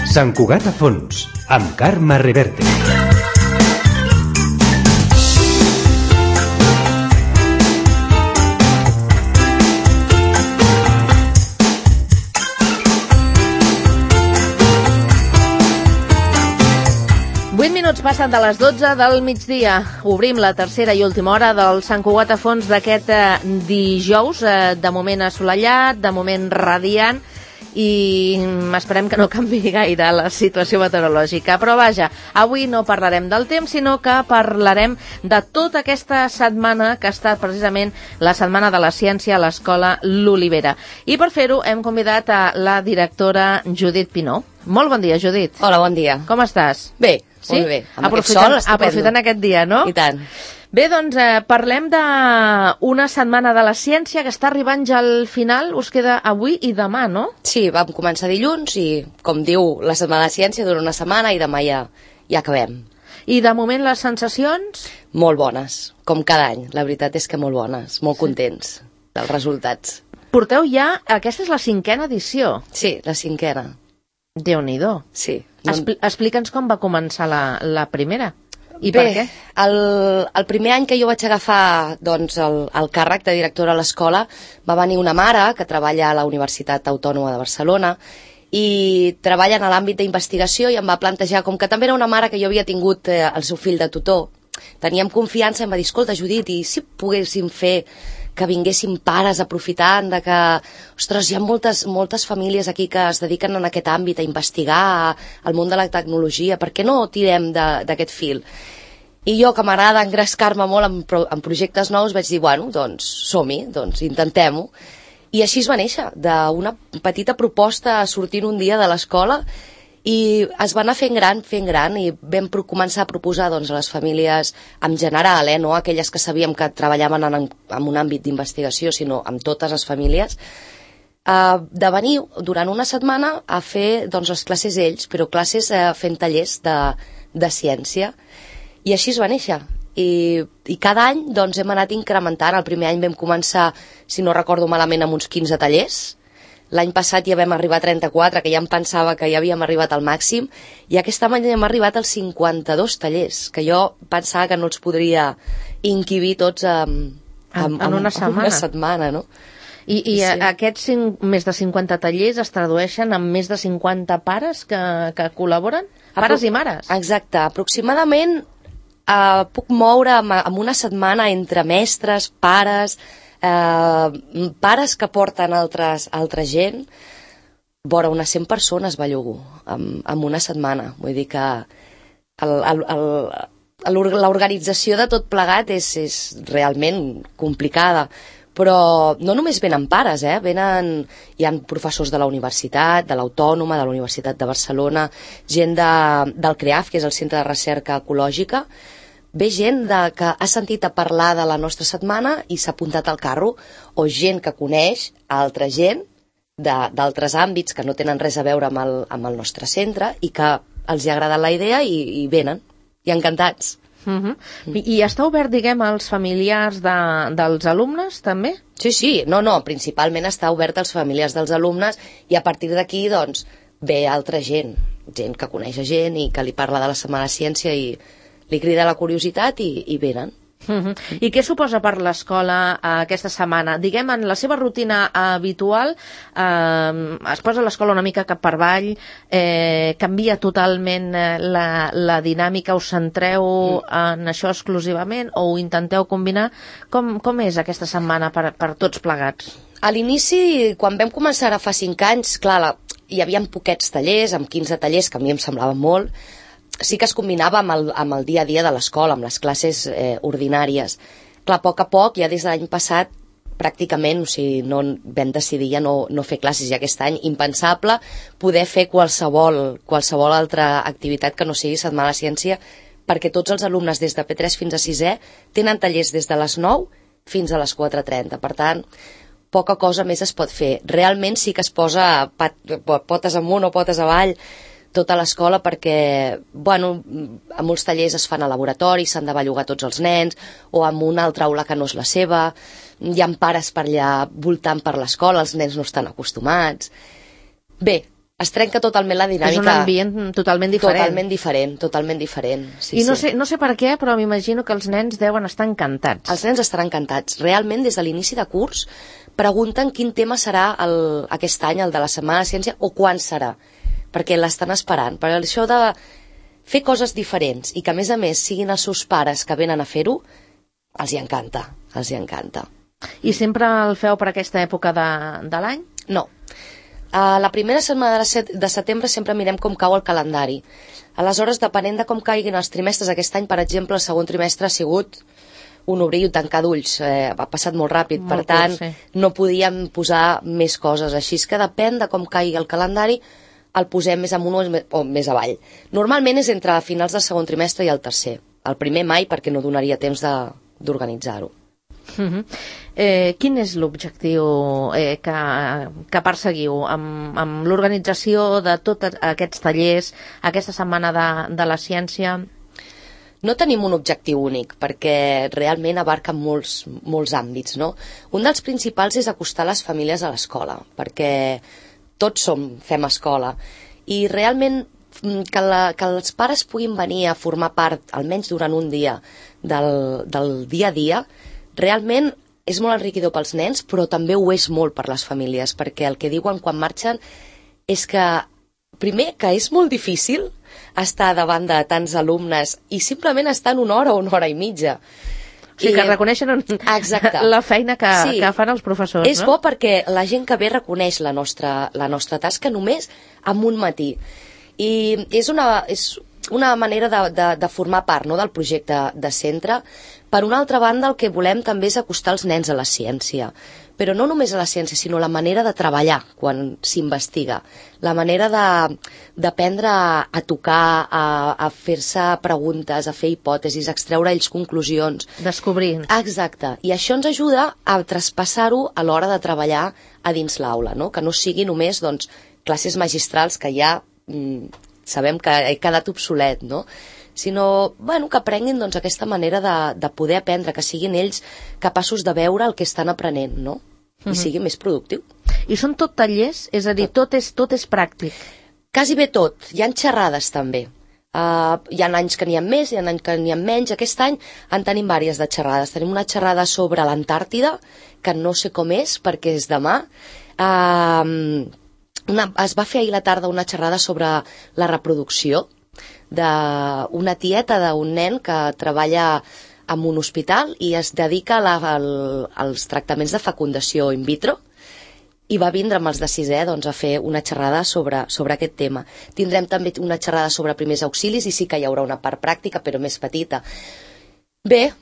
Sant Cugat a fons, amb Carme Reverte. Passen de les 12 del migdia. Obrim la tercera i última hora del Sant Cugat a fons d'aquest dijous, de moment assolellat, de moment radiant, i esperem que no canvi gaire la situació meteorològica. Però vaja, avui no parlarem del temps, sinó que parlarem de tota aquesta setmana que ha estat precisament la Setmana de la Ciència a l'Escola L'Olivera. I per fer-ho hem convidat a la directora Judit Pinó. Molt bon dia, Judit. Hola, bon dia. Com estàs? Bé, sí? molt bé. Amb aquest sol, estupendo. Aprofitant aquest dia, no? I tant. Bé, doncs parlem d'una setmana de la ciència que està arribant ja al final. Us queda avui i demà, no? Sí, vam començar dilluns i, com diu, la Setmana de la Ciència dura una setmana i demà ja acabem. I de moment les sensacions? Molt bones, com cada any. La veritat és que molt bones, molt contents dels resultats. Porteu ja, aquesta és la 5a edició. Sí, la 5a. Déu-n'hi-do. Sí. Explica'ns com va començar la primera. I bé, per què? El primer any que jo vaig agafar doncs, el càrrec de directora a l'escola va venir una mare que treballa a la Universitat Autònoma de Barcelona i treballa en l'àmbit d'investigació i em va plantejar, com que també era una mare que jo havia tingut el seu fill de tutor, teníem confiança i em va dir, escolta, Judit, i si poguéssim fer que vinguessin pares aprofitant de que, ostres, hi ha moltes famílies aquí que es dediquen en aquest àmbit a investigar el món de la tecnologia, per què no tirem d'aquest fil? I jo, que m'agrada engrescar-me molt en projectes nous, vaig dir, bueno, doncs som-hi, doncs intentem-ho. I així es va néixer, d'una petita proposta sortint un dia de l'escola, i es va anar fent gran i vam començar a proposar doncs, a les famílies en general, no aquelles que sabíem que treballaven en un àmbit d'investigació, sinó amb totes les famílies, de venir durant una setmana a fer doncs, les classes ells, però classes fent tallers de ciència. I així es va néixer. I cada any doncs, hem anat incrementant. El primer any vam començar, si no recordo malament, amb uns 15 tallers. L'any passat ja vam arribar a 34, que ja em pensava que ja havíem arribat al màxim, i aquest any hem arribat als 52 tallers, que jo pensava que no els podria inquibir tots en una setmana, no? I sí. Aquests més de 50 tallers es tradueixen en més de 50 pares que col·laboren? Pares i mares? Exacte, aproximadament puc moure en una setmana entre mestres, pares que porten altra gent, vora unes 100 persones va llogar en una setmana. Vull dir que l'organització de tot plegat és realment complicada, però no només venen pares, hi ha professors de la universitat, de l'Autònoma, de la Universitat de Barcelona, gent del CREAF, que és el Centre de Recerca Ecològica. Ve gent que ha sentit a parlar de la nostra setmana i s'ha apuntat al carro, o gent que coneix altra gent d'altres àmbits que no tenen res a veure amb el nostre centre i que els ha agradat la idea i venen, i encantats. I està obert, diguem, als familiars dels alumnes, també? Sí, no, principalment està obert als familiars dels alumnes i a partir d'aquí, doncs, ve altra gent que coneix gent i que li parla de la Setmana de Ciència i li crida la curiositat i venen. I què suposa per l'escola aquesta setmana? Diguem, en la seva rutina habitual es posa l'escola una mica cap per avall, canvia totalment la dinàmica, us centreu en això exclusivament o ho intenteu combinar? Com és aquesta setmana per tots plegats? A l'inici, quan vam començar ara fa 5 anys, clar, hi havia poquets tallers, amb 15 tallers, que a mi em semblava molt. Sí que es combinava amb el dia a dia de l'escola, amb les classes ordinàries. Clar, a poc, ja des de l'any passat, pràcticament, no vam decidir ja no fer classes, i aquest any impensable poder fer qualsevol altra activitat que no sigui Setmana de Ciència, perquè tots els alumnes des de P3 fins a 6è tenen tallers des de les 9 fins a les 4:30. Per tant, poca cosa més es pot fer. Realment sí que es posa potes amunt o potes avall tota l'escola perquè, a molts tallers es fan a laboratori, s'han de bellugar tots els nens, o en una altra aula que no és la seva, hi ha pares per allà voltant per l'escola, els nens no estan acostumats. Bé, es trenca totalment la dinàmica. És un ambient totalment diferent. Totalment diferent. Sí, I no sé per què, però m'imagino que els nens deuen estar encantats. Els nens estaran encantats. Realment, des de l'inici de curs, pregunten quin tema serà aquest any, el de la Setmana de Ciència, o quan serà, perquè l'estan esperant. Per això de fer coses diferents i que, a més, siguin els seus pares que venen a fer-ho, els hi encanta. I sempre el feu per aquesta època de l'any? No. La primera setmana de setembre sempre mirem com cau el calendari. Aleshores, depenent de com caiguin els trimestres aquest any, per exemple, el segon trimestre ha sigut un obrir i un tancar d'ulls. Ha passat molt ràpid, per tant, no podíem posar més coses. Així que depèn de com caigui el calendari, el posem més amunt o més avall. Normalment és entre finals del segon trimestre i el tercer. El primer mai, perquè no donaria temps d'organitzar-ho. Quin és l'objectiu que perseguiu amb l'organització de tots aquests tallers, aquesta setmana de la ciència? No tenim un objectiu únic, perquè realment abarca molts àmbits, no? Un dels principals és acostar les famílies a l'escola, perquè tots fem escola, i realment que els pares puguin venir a formar part, almenys durant un dia, del dia a dia, realment és molt enriquidor pels nens, però també ho és molt per les famílies, perquè el que diuen quan marxen és que, primer, que és molt difícil estar davant de tants alumnes i simplement estan una hora o una hora i mitja. O sigui, que reconeixen la feina que fan els professors, no? És bo perquè la gent que ve reconeix la nostra tasca només amb un matí. I és una manera de formar part, no?, del projecte de centre. Per una altra banda, el que volem també és acostar els nens a la ciència, però no només a la ciència, sinó la manera de treballar quan s'investiga, la manera d'aprendre a tocar, a fer-se preguntes, a fer hipòtesis, a extreure ells conclusions. Descobrir. Exacte, i això ens ajuda a traspassar-ho a l'hora de treballar a dins l'aula, no?, que no sigui només classes magistrals que ja sabem que he quedat obsolet, no?, sinó que aprenguin aquesta manera de poder aprendre, que siguin ells capaços de veure el que estan aprenent, no?, i sigui més productiu. I són tot tallers? És a dir, tot és pràctic? Quasi bé tot. Hi ha xerrades també. Hi ha anys que n'hi ha més, hi ha anys que n'hi ha menys. Aquest any en tenim diverses de xerrades. Tenim una xerrada sobre l'Antàrtida, que no sé com és, perquè és demà. Es va fer ahir a la tarda una xerrada sobre la reproducció, d'una tieta d'un nen que treballa en un hospital i es dedica als tractaments de fecundació in vitro, i va vindre amb els de sisè a fer una xerrada sobre aquest tema. Tindrem també una xerrada sobre primers auxilis i sí que hi haurà una part pràctica, però més petita. Bé,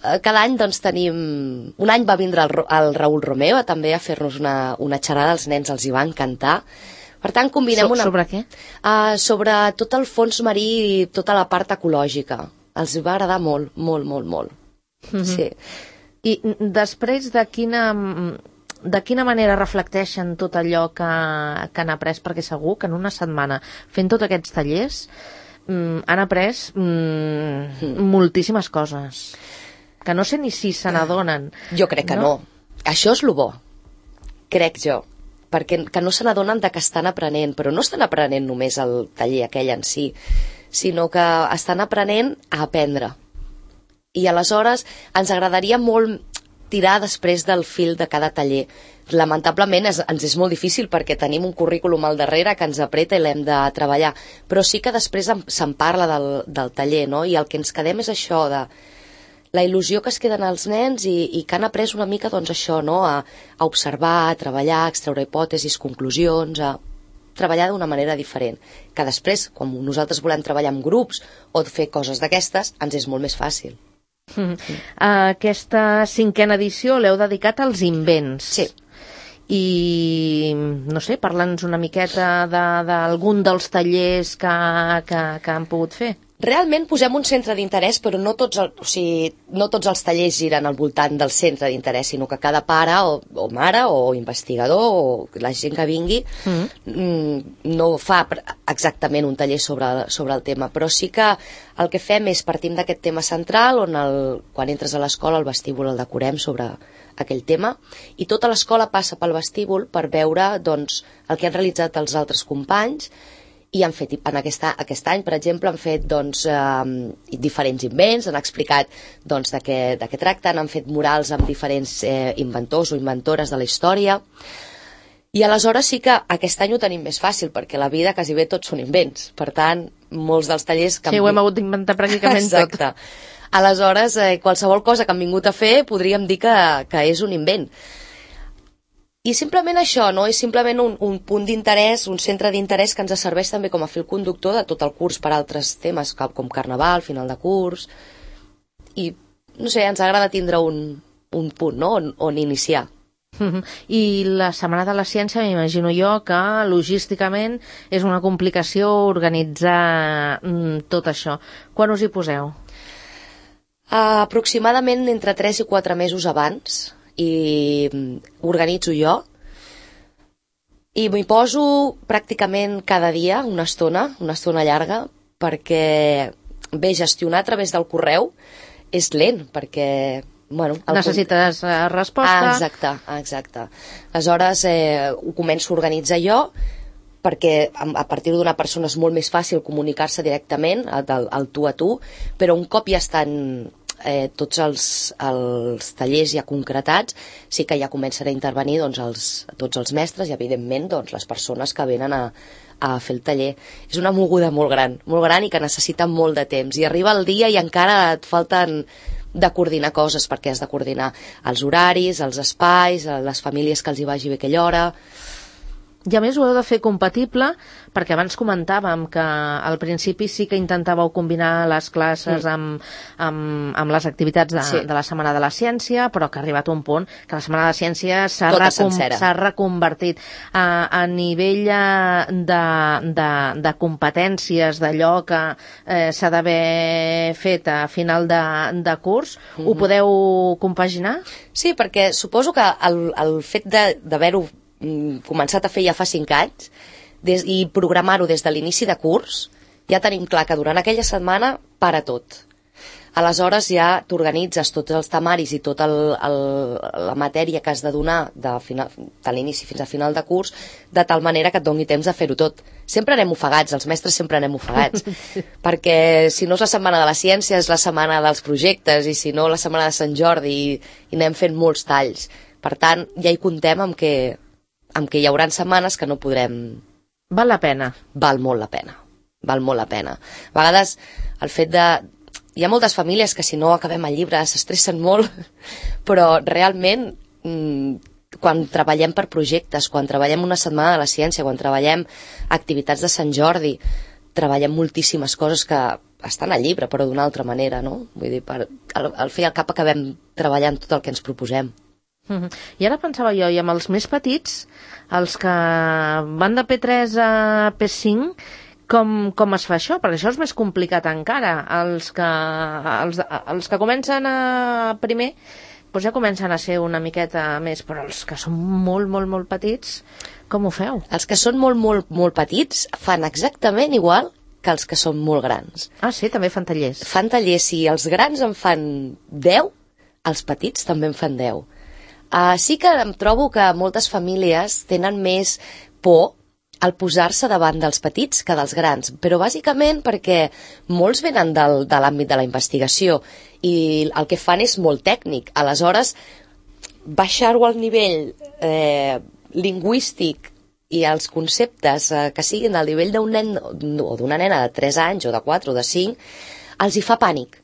cada any tenim... Un any va vindre el Raül Romeo també a fer-nos una xerrada, als nens els hi va encantar. Per tant, combinem Sobre què? Sobre tot el fons marí i tota la part ecològica. Els va agradar molt, molt, molt, molt. Sí. I després de quina manera reflecteixen tot allò que han après? Perquè segur que en una setmana, fent tots aquests tallers, han après moltíssimes coses. Que no sé ni si se n'adonen. Jo crec que no. Això és el bo, crec jo. Perquè no se n'adonen que estan aprenent, però no estan aprenent només el taller aquell en si, sinó que estan aprenent a aprendre. I aleshores ens agradaria molt tirar després del fil de cada taller. Lamentablement ens és molt difícil perquè tenim un currículum al darrere que ens apreta i l'hem de treballar, però sí que després se'n parla del taller, no? I el que ens quedem és això de la il·lusió que es queden els nens i que han après una mica això, no?, a observar, a treballar, a extreure hipòtesis, conclusions, a treballar d'una manera diferent, que després, quan nosaltres volem treballar en grups o fer coses d'aquestes, ens és molt més fàcil. Aquesta 5a edició l'heu dedicat als invents. Sí. I, no sé, parla'ns una miqueta d'algun dels tallers que han pogut fer. Realment posem un centre d'interès, però no tots els tallers giren al voltant del centre d'interès, sinó que cada pare o mare o investigador o la gent que vingui no fa exactament un taller sobre el tema, però sí que el que fem és partim d'aquest tema central on quan entres a l'escola el vestíbul el decorem sobre aquell tema, i tota l'escola passa pel vestíbul per veure doncs, el que han realitzat els altres companys, i han fet, aquest any, per exemple, han fet doncs, diferents invents, han explicat doncs, de què tracten, han fet murals amb diferents inventors o inventores de la història, i aleshores sí que aquest any ho tenim més fàcil, perquè la vida quasi bé tots són invents, per tant, molts dels tallers... Sí, ho hem hagut d'inventar pràcticament tot. Exacte. Aleshores, qualsevol cosa que han vingut a fer podríem dir que és un invent. I simplement això, no? És simplement un punt d'interès, un centre d'interès que ens serveix també com a fil conductor de tot el curs per altres temes, com carnaval, final de curs, i, no sé, ens agrada tindre un punt, no?, on iniciar. I la Setmana de la Ciència, m'imagino jo que logísticament és una complicació organitzar tot això. Quan us hi poseu? Aproximadament entre 3 i 4 mesos abans, i organitzo jo, i m'hi poso pràcticament cada dia, una estona llarga, perquè bé, gestionar a través del correu és lent, perquè necessites resposta. Exacte. Aleshores ho començo a organitzar jo, perquè a partir d'una persona és molt més fàcil comunicar-se directament, al tu a tu, però un cop ja estan tots els tallers ja concretats, sí que ja començaré a intervenir tots els mestres i evidentment les persones que venen a fer el taller. És una moguda molt gran i que necessita molt de temps, i arriba el dia i encara et falten de coordinar coses, perquè has de coordinar els horaris, els espais, les famílies que els hi vagi bé aquella hora. I a més ho heu de fer compatible, perquè abans comentàvem que al principi sí que intentàveu combinar les classes amb les activitats de la Setmana de la Ciència, però que ha arribat un punt que la Setmana de la Ciència s'ha reconvertit a nivell de competències, d'allò que s'ha d'haver fet a final de curs. Ho podeu compaginar? Sí, perquè suposo que el fet d'haver-ho començat a fer ja fa 5 anys i programar-ho des de l'inici de curs, ja tenim clar que durant aquella setmana para tot. Aleshores ja t'organitzes tots els temaris i tota la matèria que has de donar de l'inici fins a final de curs, de tal manera que et doni temps de fer-ho tot. Sempre anem ofegats, els mestres sempre anem ofegats, perquè si no és la Setmana de la Ciència és la setmana dels projectes, i si no la Setmana de Sant Jordi, i anem fent molts talls. Per tant, ja hi comptem amb que hi haurà setmanes que no podrem... Val la pena? Val molt la pena. A vegades el fet de... Hi ha moltes famílies que si no acabem el llibre s'estressen molt, però realment quan treballem per projectes, quan treballem una Setmana de la Ciència, quan treballem activitats de Sant Jordi, treballem moltíssimes coses que estan al llibre, però d'una altra manera, no? Vull dir, al fi i al cap acabem treballant tot el que ens proposem. I ara pensava jo, i amb els més petits, els que van de P3 a P5, com es fa això? Perquè això és més complicat encara. Els que comencen a primer, doncs ja comencen a ser una miqueta més, però els que són molt, molt, molt petits, com ho feu? Els que són molt, molt, molt petits fan exactament igual que els que són molt grans. Ah, sí? També fan tallers? Fan tallers. Si els grans en fan 10, els petits també en fan 10. Sí que em trobo que moltes famílies tenen més por al posar-se davant dels petits que dels grans, però bàsicament perquè molts venen de l'àmbit de la investigació i el que fan és molt tècnic. Aleshores, baixar-ho al nivell lingüístic i els conceptes que siguin al nivell d'un nen o d'una nena de 3 anys o de 4 o de 5, els hi fa pànic.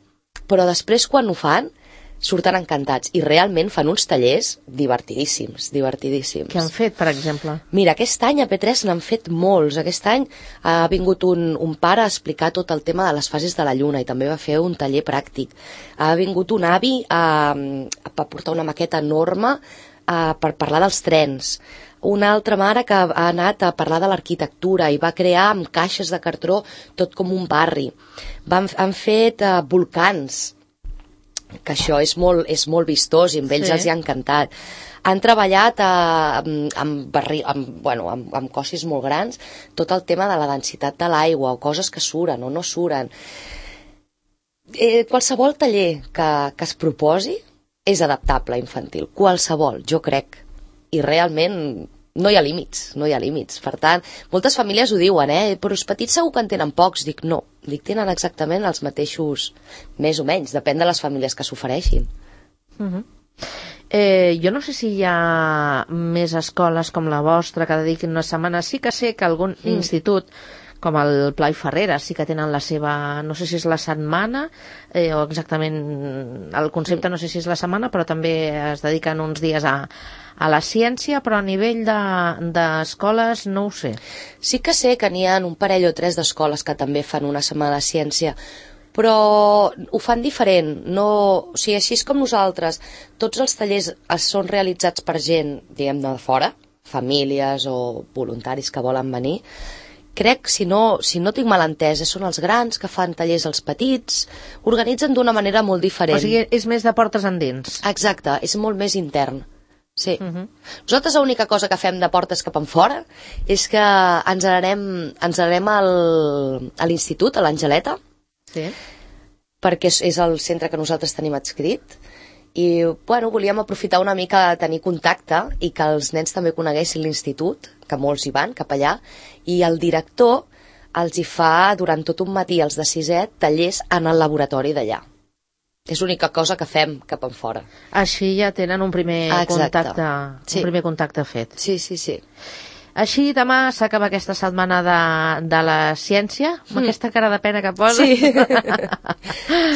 Però després, quan ho fan, surten encantats i realment fan uns tallers divertidíssims. Què han fet, per exemple? Mira, aquest any a P3 n'han fet molts. Aquest any ha vingut un pare a explicar tot el tema de les fases de la Lluna i també va fer un taller pràctic. Ha vingut un avi a portar una maqueta enorme per parlar dels trens. Una altra mare que ha anat a parlar de l'arquitectura i va crear amb caixes de cartró tot com un barri. Han fet volcans, que això és molt vistós i amb ells els hi ha encantat. Han treballat amb cossis molt grans tot el tema de la densitat de l'aigua o coses que suren o no suren. Qualsevol taller que es proposi és adaptable a infantil, qualsevol, jo crec. I realment no hi ha límits, no hi ha límits. Per tant, moltes famílies ho diuen, però els petits segur que en tenen pocs. Dic, no, tenen exactament els mateixos, més o menys, depèn de les famílies que s'ofereixin. Jo no sé si hi ha més escoles com la vostra que dediquin una setmana. Sí que sé que algun institut com el Pla i Ferrera sí que tenen la seva, no sé si és la setmana o exactament el concepte, no sé si és la setmana, però també es dediquen uns dies a la ciència, però a nivell d'escoles no ho sé. Sí que sé que n'hi ha un parell o tres d'escoles que també fan una setmana de ciència, però ho fan diferent. No, o sigui, així és com nosaltres. Tots els tallers són realitzats per gent, diguem, de fora, famílies o voluntaris que volen venir. Crec, si no tinc mal entès, són els grans que fan tallers als petits, organitzen d'una manera molt diferent. O sigui, és més de portes endins. Exacte, és molt més intern. Sí. Nosaltres l'única cosa que fem de portes cap enfora és que ens n'anem a l'institut, a l'Angeleta, sí, perquè és el centre que nosaltres tenim adscrit, i volíem aprofitar una mica de tenir contacte i que els nens també coneguessin l'institut, que molts hi van cap allà, i el director els hi fa durant tot un matí, els de 6è, tallers en el laboratori d'allà. És l'única cosa que fem cap enfora. Així ja tenen un primer contacte, sí, un primer contacte fet. Sí, sí, sí. Així demà s'acaba aquesta setmana de la ciència, amb aquesta cara de pena que posa. Sí.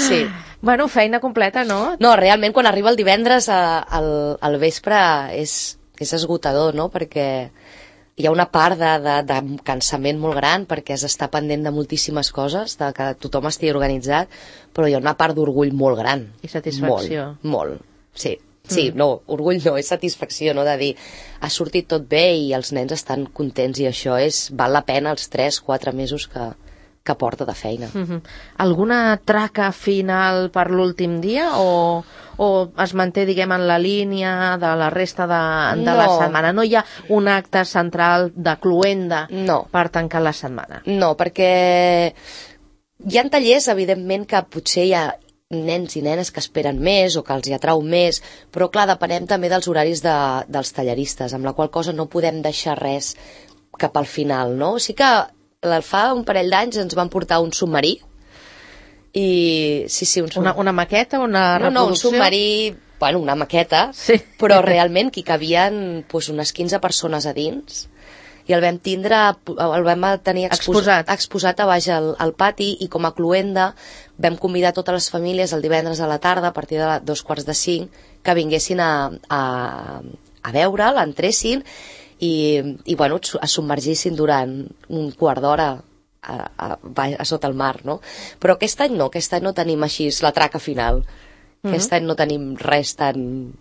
Sí. Bueno, feina completa, no? No, realment quan arriba el divendres al vespre és esgotador, no? Perquè hi ha una part de cansament molt gran perquè has d'estar pendent de moltíssimes coses, de que tothom estigui organitzat, però hi ha una part d'orgull molt gran. I satisfacció. Molt, sí. Sí, no, orgull no, és satisfacció, no?, de dir, ha sortit tot bé i els nens estan contents i això val la pena els 3-4 mesos que porta de feina. Alguna traca final per l'últim dia o es manté, diguem, en la línia de la resta de la setmana? No hi ha un acte central de cloenda per tancar la setmana? No, perquè hi ha tallers, evidentment, que potser hi ha nens i nenes que esperen més o que els hi atrau més, però clar, depenem també dels horaris dels talleristes, amb la qual cosa no podem deixar res cap al final, no? Sí que fa un parell d'anys ens van portar un submarí i... Sí, una maqueta, una reproducció? No, un submarí, una maqueta, sí, però realment que hi cabien unes 15 persones a dins i el vam tenir exposat a baix al pati, i com a cloenda vam convidar totes les famílies el divendres a la tarda, a partir de 2:45, que vinguessin a veure, l'entressin i es submergissin durant un quart d'hora a sota el mar, no? Però aquest any no tenim així la traca final. Aquest any no tenim res tan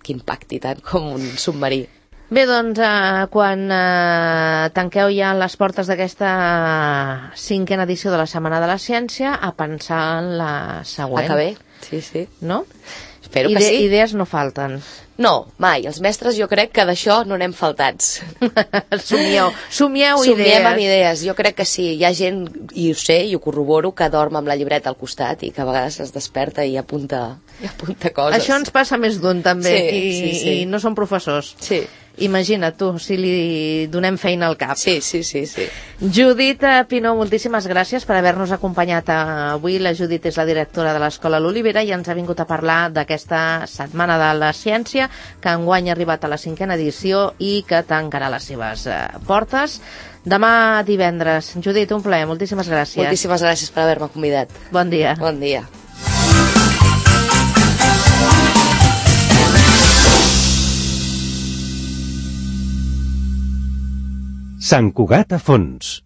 que impacti tant com un submarí. Bé, doncs, quan tanqueu ja les portes d'aquesta 5a edició de la Setmana de la Ciència, a pensar en la següent. Que bé, sí, sí. No? Espero que sí. Idees no falten. No, mai. Els mestres jo crec que d'això no n'hem faltats. Somieu idees. Somiem amb idees, jo crec que sí. Hi ha gent, i ho sé, i ho corroboro, que dorm amb la llibreta al costat i que a vegades es desperta i apunta coses. Això ens passa més d'un, també, sí. I no són professors. Sí. Imagina't tu, si li donem feina al cap. Sí. Judit Pinó, moltíssimes gràcies per haver-nos acompanyat avui. La Judit és la directora de l'Escola L'Olivera i ens ha vingut a parlar d'aquesta Setmana de la Ciència, que enguany ha arribat a la 5a edició i que tancarà les seves portes demà divendres. Judit, un plaer, moltíssimes gràcies. Moltíssimes gràcies per haver-me convidat. Bon dia. Bon dia. Sant Cugat a fons.